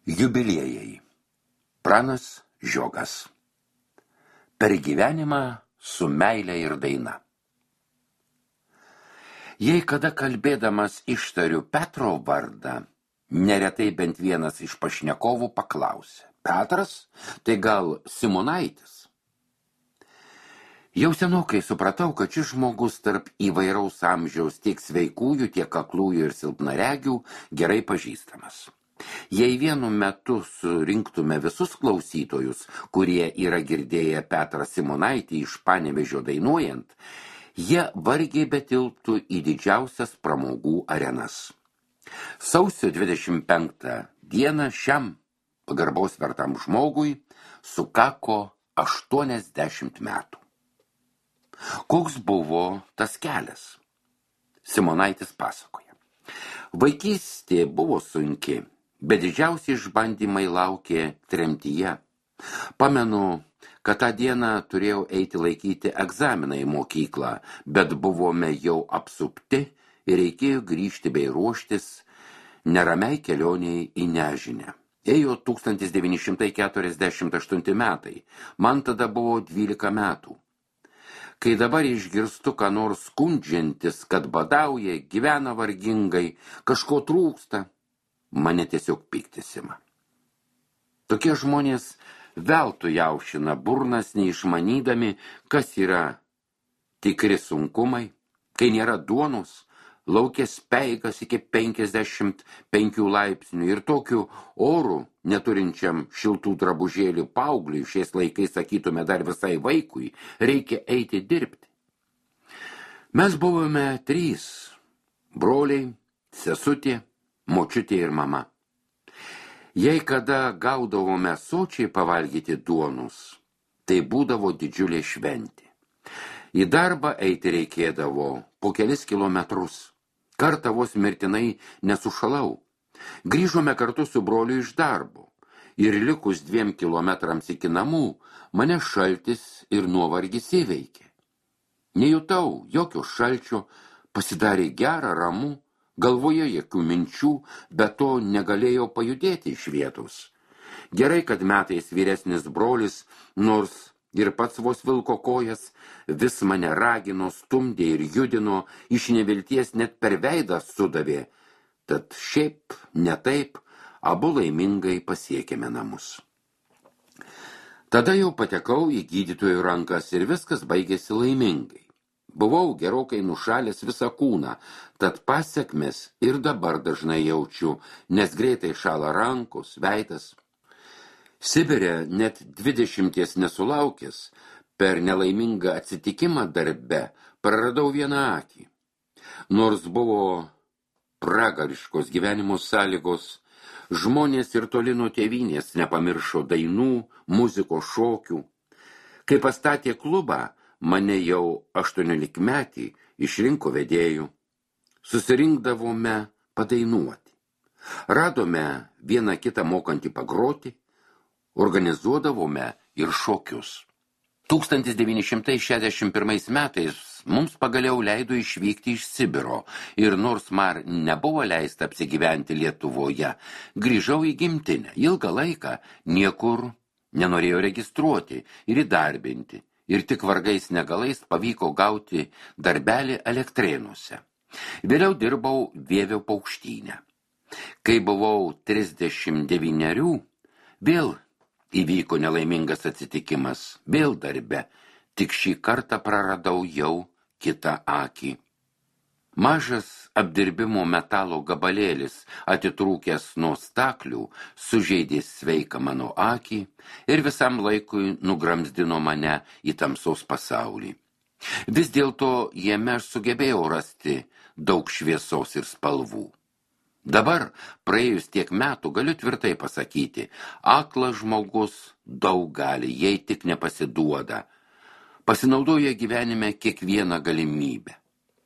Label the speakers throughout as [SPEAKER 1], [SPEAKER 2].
[SPEAKER 1] Jubiliejai. Pranas Žiogas. Per gyvenimą su meile ir daina. Jei kada kalbėdamas ištariu Petro vardą, neretai bent vienas iš pašnekovų paklausė: Petras, tai gal Simonaitis? Jau senokai supratau, kad šis žmogus tarp įvairaus amžiaus tiek sveikųjų, tiek aklųjų ir silpnaregių gerai pažįstamas. Jei vienu metu surinktume visus klausytojus, kurie yra girdėję Petrą Simonaitį iš Panevėžio dainuojant, jie vargiai betilptų į didžiausias pramogų arenas. Sausio 25 dieną šiam pagarbaus vertam žmogui sukako 80 metų. Koks buvo tas kelias? Simonaitis pasakoja. Vaikystė buvo sunki, bet didžiausi išbandymai laukė tremtyje. Pamenu, kad tą dieną turėjau eiti laikyti egzaminą į mokyklą, bet buvome jau apsupti ir reikėjo grįžti bei ruoštis neramiai kelioniai į nežinę. Ėjo 1948 metai, man tada buvo 12 metų. Kai dabar išgirstu, ką nors skundžiantis, kad badauja, gyvena vargingai, kažko trūksta, mane tiesiog piktis ima. Tokie žmonės veltui jaušina burnas, neišmanydami, kas yra tikri sunkumai, kai nėra duonos, lauke speigas iki 55 laipsnių ir tokiu oru, neturinčiam šiltų drabužėlių paaugliui, šiais laikais sakytume dar visai vaikui, reikia eiti dirbti. Mes buvome 3 – broliai, sesutė, močiutė ir mama. Jei kada gaudavome sočiai pavalgyti duonos, tai būdavo didžiulė šventė. Į darbą eiti reikėdavo po kelis kilometrus. Kartą vos mirtinai nesušalau. Grįžome kartu su broliu iš darbo ir likus 2 kilometrams iki namų mane šaltis ir nuovargis įveikė. Nejutau jokio šalčio, pasidarė gera, ramu, galvoje jokių minčių, bet to negalėjau pajudėti iš vietos. Gerai, kad metais vyresnis brolis, nors ir pats vos vilko kojas, vis mane ragino, stumdė ir judino, iš nevilties net per veidą sudavė. Tad šiaip, ne taip, abu laimingai pasiekėme namus. Tada jau patekau į gydytojų rankas ir viskas baigėsi laimingai. Buvau gerokai nušalęs visą kūną, tad pasekmes ir dabar dažnai jaučiu, nes greitai šąla rankos, veidas. Sibire net 20 nesulaukęs, per nelaimingą atsitikimą darbe praradau vieną akį. Nors buvo pragariškos gyvenimo sąlygos, žmonės ir toli nuo tėvynės nepamiršo dainų, muzikos, šokių. Kai pastatė klubą, mane jau 18-metį išrinko vedėjų. Susirinkdavome padainuoti. Radome vieną kitą mokantį pagroti, organizuodavome ir šokius. 1961 metais mums pagaliau leido išvykti iš Sibiro ir nors man nebuvo leista apsigyventi Lietuvoje, grįžau į gimtinę. Ilgą laiką niekur nenorėjau registruoti ir įdarbinti ir tik vargais negalais pavyko gauti darbelį Elektrėnuose. Vėliau dirbau Vievio Paukštyne. Kai buvau 39, vėl įvyko nelaimingas atsitikimas, vėl darbe, tik šį kartą praradau jau kitą akį. Mažas apdirbimo metalo gabalėlis, atitrūkęs nuo staklių, sužeidė sveiką mano akį ir visam laikui nugramzdino mane į tamsos pasaulį. Vis dėlto jame aš sugebėjau rasti daug šviesos ir spalvų. Dabar, praėjus tiek metų, galiu tvirtai pasakyti, aklas žmogus daug gali, jei tik nepasiduoda. Pasinaudoja gyvenime kiekvieną galimybę.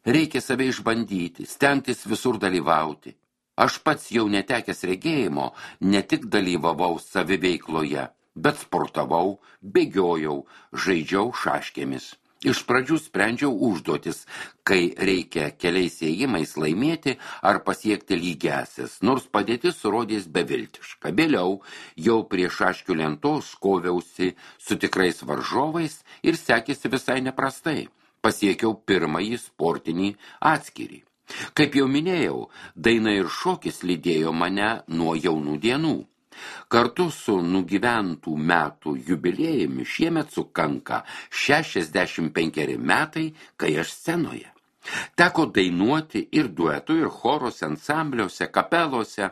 [SPEAKER 1] Reikia save išbandyti, stengtis visur dalyvauti. Aš pats jau netekęs regėjimo, ne tik dalyvavau saviveikloje, bet sportavau, bėgiojau, žaidžiau šaškėmis. Iš pradžių sprendžiau užduotis, kai reikia keliais ėjimais laimėti ar pasiekti lygiąsias, nors padėtis rodės beviltiška. Vėliau jau prie šaškių lentos koviausi su tikrais varžovais ir sekėsi visai neprastai. Pasiekiau pirmąjį sportinį atskirį. Kaip jau minėjau, daina ir šokis lydėjo mane nuo jaunų dienų. Kartu su nugyventų metų jubiliejumi šiemet sukanka 65 metai, kai aš scenoje. Teko dainuoti ir duetų, ir choruose, ansambliuose, kapelose.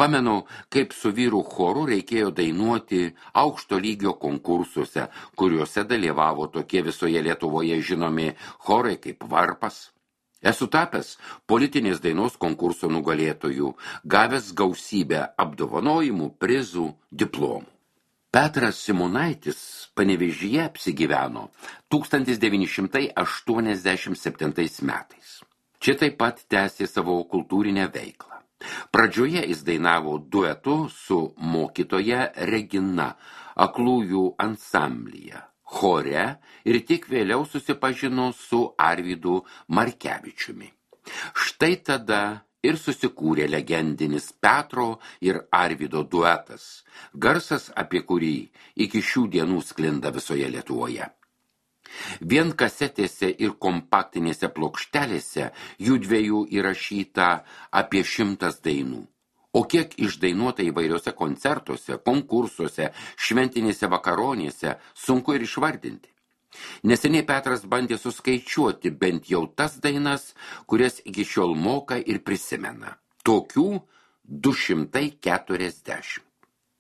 [SPEAKER 1] Pamenu, kaip su vyrų choru reikėjo dainuoti aukšto lygio konkursuose, kuriuose dalyvavo tokie visoje Lietuvoje žinomi chorai kaip Varpas. Esu tapęs politinės dainos konkurso nugalėtojų, gavęs gausybę apdovanojimų, prizų, diplomų. Petras Simonaitis Panevėžyje apsigyveno 1987 metais. Čia taip pat tęsė savo kultūrinę veiklą. Pradžioje jis dainavo duetu su mokytoja Regina aklųjų ansamblyje, chore ir tik vėliau susipažino su Arvydu Markevičiumi. Štai tada ir susikūrė legendinis Petro ir Arvydo duetas, garsas, apie kurį iki šių dienų sklinda visoje Lietuvoje. Vien kasetėse ir kompaktinėse plokštelėse jų dviejų įrašyta apie 100 dainų. O kiek išdainuota įvairiuose koncertuose, konkursuose, šventinėse vakaronėse, sunku ir išvardinti. Neseniai Petras bandė suskaičiuoti bent jau tas dainas, kurias iki šiol moka ir prisimena. Tokių 240.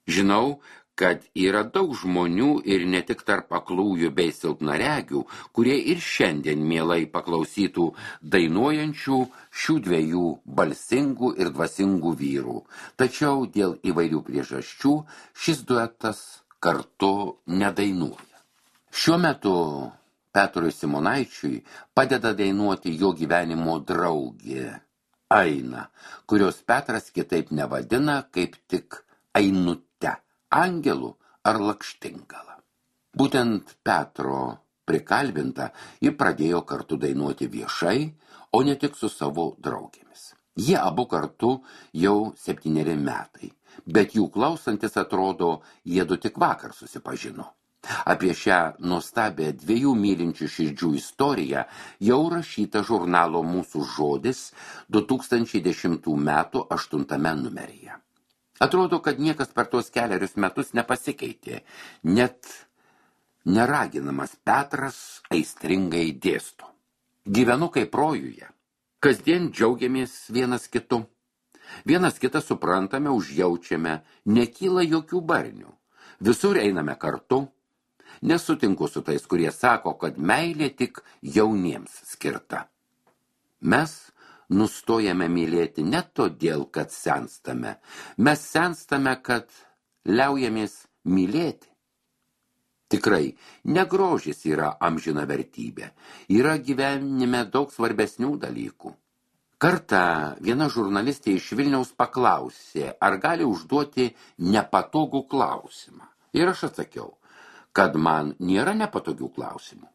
[SPEAKER 1] Žinau, kad yra daug žmonių ir ne tik tarp aklųjų bei silpnaregių, kurie ir šiandien mielai paklausytų dainuojančių šių dviejų balsingų ir dvasingų vyrų. Tačiau dėl įvairių priežasčių šis duetas kartu nedainuoja. Šiuo metu Petrui Simonaičiui padeda dainuoti jo gyvenimo draugė Aina, kurios Petras kitaip nevadina kaip tik Ainute, Angelų ar Lakštingala. Būtent Petro prikalbinta, ji pradėjo kartu dainuoti viešai, o ne tik su savo draugėmis. Jie abu kartu jau 7 metai, bet jų klausantis atrodo, jiedu tik vakar susipažino. Apie šią nuostabę 2 mylinčių širdžių istoriją jau rašyta žurnalo Mūsų žodis 2010 metų 8 numeryje. Atrodo, kad niekas per tuos kelerius metus nepasikeitė, net neraginamas Petras aistringai dėsto. Gyvenu kaip rojuje. Kasdien džiaugiamės vienas kitu. Vienas kitą suprantame, užjaučiame, nekyla jokių barnių. Visur einame kartu. Nesutinku su tais, kurie sako, kad meilė tik jauniems skirta. Mes nustojame mylėti ne todėl, kad senstame. Mes senstame, kad liaujamės mylėti. Tikrai, ne grožis yra amžina vertybė. Yra gyvenime daug svarbesnių dalykų. Kartą viena žurnalistė iš Vilniaus paklausė, ar gali užduoti nepatogų klausimą. Ir aš atsakiau, kad man nėra nepatogių klausimų.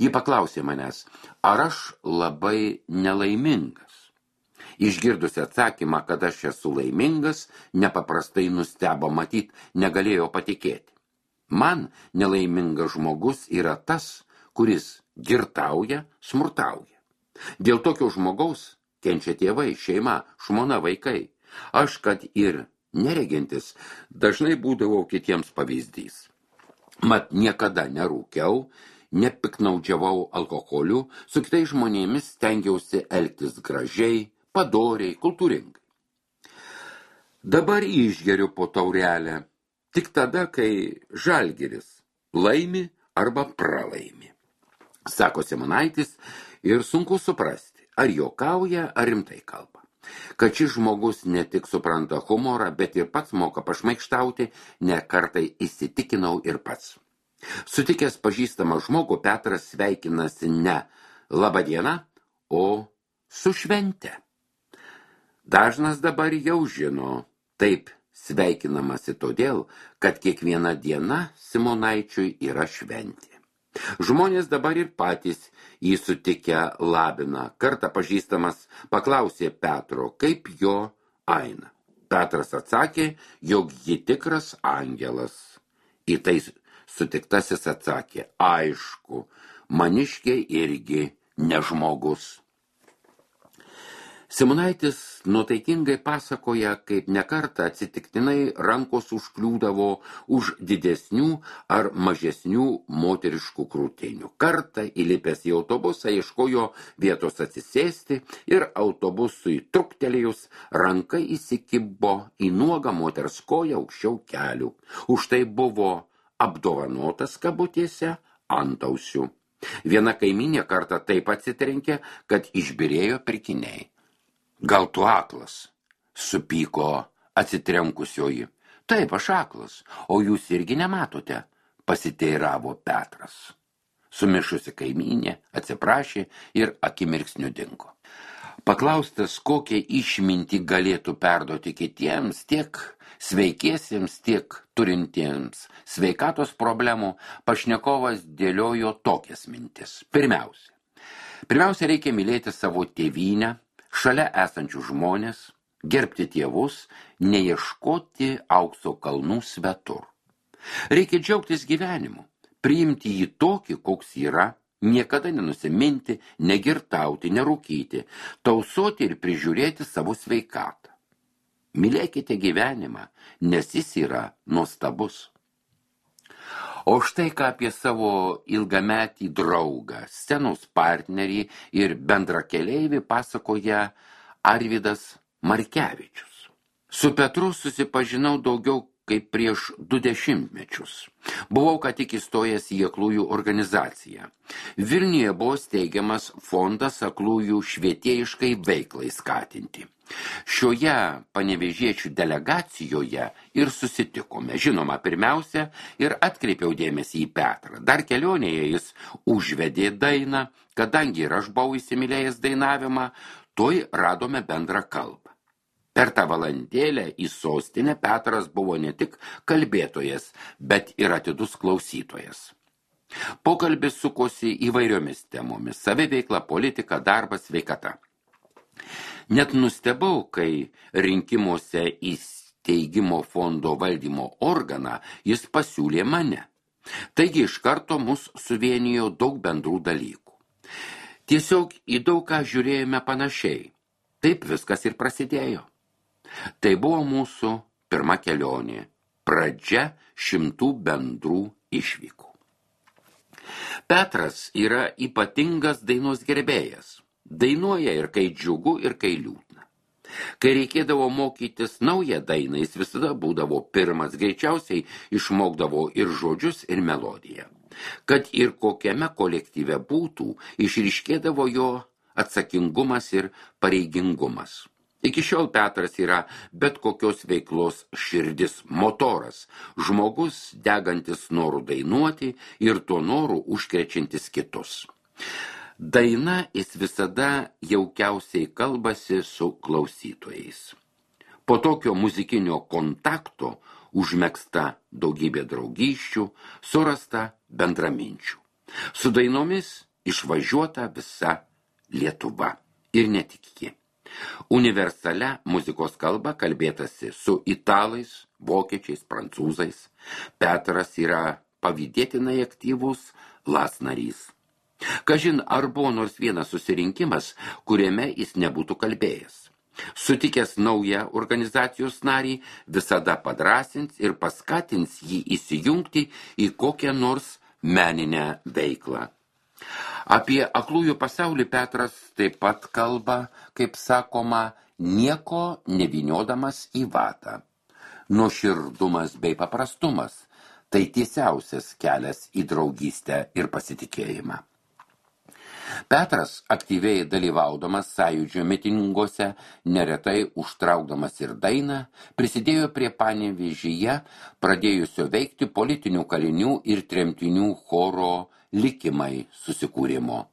[SPEAKER 1] Ji paklausė manęs, ar aš labai nelaimingas. Išgirdusi atsakymą, kad aš esu laimingas, nepaprastai nustebo, matyt, negalėjo patikėti. Man nelaimingas žmogus yra tas, kuris girtauja, smurtauja. Dėl tokio žmogaus kenčia tėvai, šeima, žmona, vaikai. Aš, kad ir neregintis, dažnai būdavau kitiems pavyzdys. Mat niekada nerūkiau, nepiknaudžiavau alkoholiu, su kitais žmonėmis stengiausi elgtis gražiai, padoriai, kultūringai. Dabar išgeriu po taurelę, tik tada, kai Žalgiris laimi arba pralaimi. Sako Simonaitis ir sunku suprasti, ar juokauja, ar rimtai kalba. Kad šis žmogus ne tik supranta humorą, bet ir pats moka pašmaikštauti, ne kartai įsitikinau ir pats. Sutikęs pažįstamą žmogų, Petras sveikinasi ne laba diena, o su švente. Dažnas dabar jau žino, taip sveikinamasi todėl, kad kiekviena diena Simonaičiui yra šventė. Žmonės dabar ir patys jį sutikę labina. Kartą pažįstamas paklausė Petro, kaip jo Aina. Petras atsakė, jog ji tikras angelas. Į tai sutiktasis atsakė, aišku, maniškė irgi ne žmogus. Simonaitis nuotaikingai pasakoja, kaip nekartą atsitiktinai rankos užkliūdavo už didesnių ar mažesnių moteriškų krūtinių. Kartą įlipęs į autobusą ieškojo vietos atsisėsti ir autobusui truktelėjus ranka įsikibo į nuogą moters koją aukščiau kelių. Už tai buvo apdovanotas kabutėse antausių. Viena kaimynė kartą taip atsitrenkė, kad išbyrėjo pirkiniai. Gal tu aklas, supyko atsitrenkusioji. Taip, aš aklas, o jūs irgi nematote, pasiteiravo Petras. Sumišusi kaimynė atsiprašė ir akimirksniu dingo. Paklaustas, kokią išmintį galėtų perduoti kitiems, tiek sveikiesiems, tiek turintiems sveikatos problemų, pašnekovas dėliojo tokias mintis. Pirmiausia, reikia mylėti savo tėvynę, šalia esančių žmonės, gerbti tėvus, neieškoti aukso kalnų svetur. Reikia džiaugtis gyvenimu, priimti jį tokį, koks yra, niekada nenusiminti, negirtauti, nerūkyti, tausoti ir prižiūrėti savo sveikatą. Mylėkite gyvenimą, nes jis yra nuostabus. O štai ką apie savo ilgametį draugą, scenos partnerį ir bendrakeleivį pasakoja Arvydas Markevičius. Su Petru susipažinau daugiau kaip prieš 20 metus. Buvau ką tik įstojęs į aklųjų organizaciją. Vilniuje buvo steigiamas fondas aklųjų švietėjiškai veiklai skatinti. Šioje panevėžiečių delegacijoje ir susitikome. Žinoma, pirmiausia, ir atkreipiau dėmesį į Petrą. Dar kelionėje jis užvedė dainą, kadangi ir aš buvau įsimylėjęs dainavimą, tuoj radome bendrą kalbą. Per tą valandėlę į sostinę Petras buvo ne tik kalbėtojas, bet ir atidus klausytojas. Pokalbis sukosi įvairiomis temomis: saviveikla, politika, darbas, sveikata. Net nustebau, kai rinkimuose į steigimo fondo valdymo organą jis pasiūlė mane. Taigi iš karto mus suvienijo daug bendrų dalykų. Tiesiog į daug ką žiūrėjome panašiai. Taip viskas ir prasidėjo. Tai buvo mūsų pirma kelionė, pradžia 100 bendrų išvykų. Petras yra ypatingas dainos gerbėjas. Dainuoja ir kai džiugu, ir kai liūdna. Kai reikėdavo mokytis naują dainą, jis visada būdavo pirmas, greičiausiai išmokdavo ir žodžius, ir melodiją. Kad ir kokiame kolektyve būtų, išryškėdavo jo atsakingumas ir pareigingumas. Iki šiol Petras yra bet kokios veiklos širdis, motoras, žmogus degantis noru dainuoti ir tuo noru užkrečiantis kitus. Daina jis visada jaukiausiai kalbasi su klausytojais. Po tokio muzikinio kontakto užmegzta daugybė draugysčių, surasta bendraminčių. Su dainomis išvažiuota visa Lietuva ir ne tik ji. Universalia muzikos kalba kalbėtasi su italais, vokiečiais, prancūzais. Petras yra pavydėtinai aktyvus LAS narys. Kažin, ar buvo nors vienas susirinkimas, kuriame jis nebūtų kalbėjęs. Sutikęs naują organizacijos narį, visada padrasins ir paskatins jį įsijungti į kokią nors meninę veiklą. Apie aklųjų pasaulį Petras taip pat kalba, kaip sakoma, nieko nevyniodamas į vatą. Nuoširdumas bei paprastumas – tai tiesiausias kelias į draugystę ir pasitikėjimą. Petras, aktyviai dalyvaudamas sąjūdžio mitinguose, neretai užtraukdamas ir dainą, prisidėjo prie Panevėžyje pradėjusio veikti politinių kalinių ir tremtinių choro likimai susikūrimo.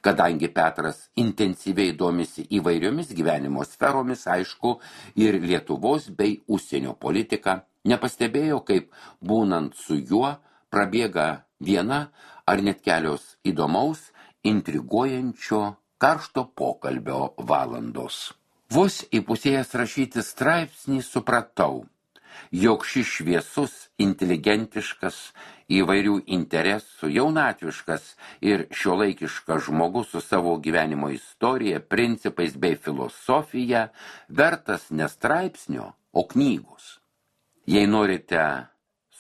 [SPEAKER 1] Kadangi Petras intensyviai domisi įvairiomis gyvenimo sferomis, aišku, ir Lietuvos bei užsienio politika, nepastebėjo, kaip būnant su juo prabėga viena ar net kelios įdomaus, intriguojančio, karšto pokalbio valandos. Vos įpusėjęs rašyti straipsnį supratau, jog šis šviesus, inteligentiškas, įvairių interesų, jaunatviškas ir šiuolaikiškas žmogus su savo gyvenimo istorija, principais bei filosofija vertas ne straipsnio, o knygos. Jei norite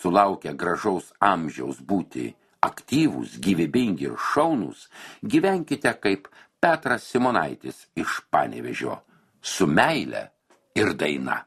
[SPEAKER 1] sulaukę gražaus amžiaus būti aktyvūs, gyvybingi ir šaunūs, gyvenkite kaip Petras Simonaitis iš Panevėžio, su meile ir daina.